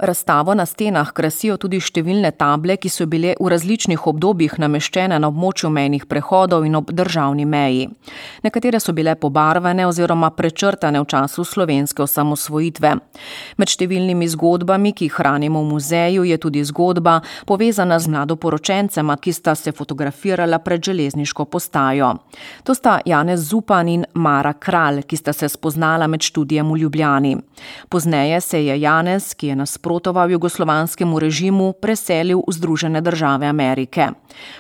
Razstavo na stenah krasijo tudi številne table, ki so bile v različnih obdobjih nameščene na območju mejnih prehodov in ob državni meji. Nekatere so bile pobarvane oziroma prečrtane v času slovenske osamosvojitve. Med številnimi zgodbami, ki jih hranimo v muzeju, je tudi zgodba povezana z mladoporočencema, ki sta se fotografirala pred železniško postajo. To sta Janez Zupan in Mara Kralj, ki sta se spoznala med študijem v Ljubljani. Pozneje se je Janez, ki je nasprotoval jugoslovanskemu režimu, preselil v Združene države Amerike.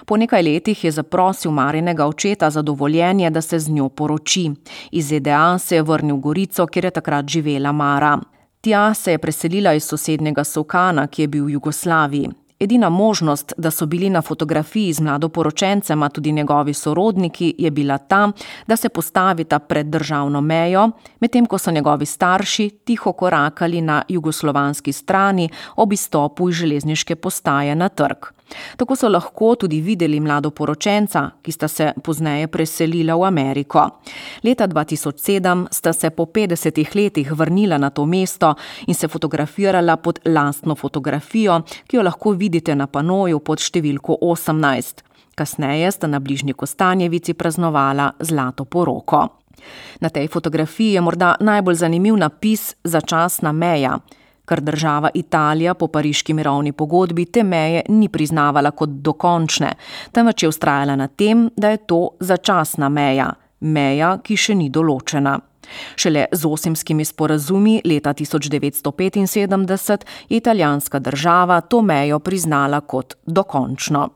Po nekaj letih je zaprosil Marinega očeta za dovoljenje, da se z njo poroči. Iz ZDA se je vrnil v Gorico, kjer je takrat živela Mara. Tja se je preselila iz sosednjega Solkana, ki je bil v Jugoslaviji. Edina možnost, da so bili na fotografiji z mladoporočencema tudi njegovi sorodniki, je bila ta, da se postavita pred državno mejo, medtem ko so njegovi starši tiho korakali na jugoslovanski strani ob izstopu iz železniške postaje na trg. Tako so lahko tudi videli mladoporočenca, ki sta se pozneje preselila v Ameriko. Leta 2007 sta se po 50 letih vrnila na to mesto in se fotografirala pod lastno fotografijo, ki jo lahko vidite na panoju pod številko 18. Kasneje sta na bližnji Kostanjevici praznovala zlato poroko. Na tej fotografiji je morda najbolj zanimiv napis Začasna meja, ker država Italija po pariški mirovni pogodbi te meje ni priznavala kot dokončne, temveč je vztrajala na tem, da je to začasna meja, meja, ki še ni določena. Šele z Osimskimi sporazumi leta 1975 je italijanska država to mejo priznala kot dokončno.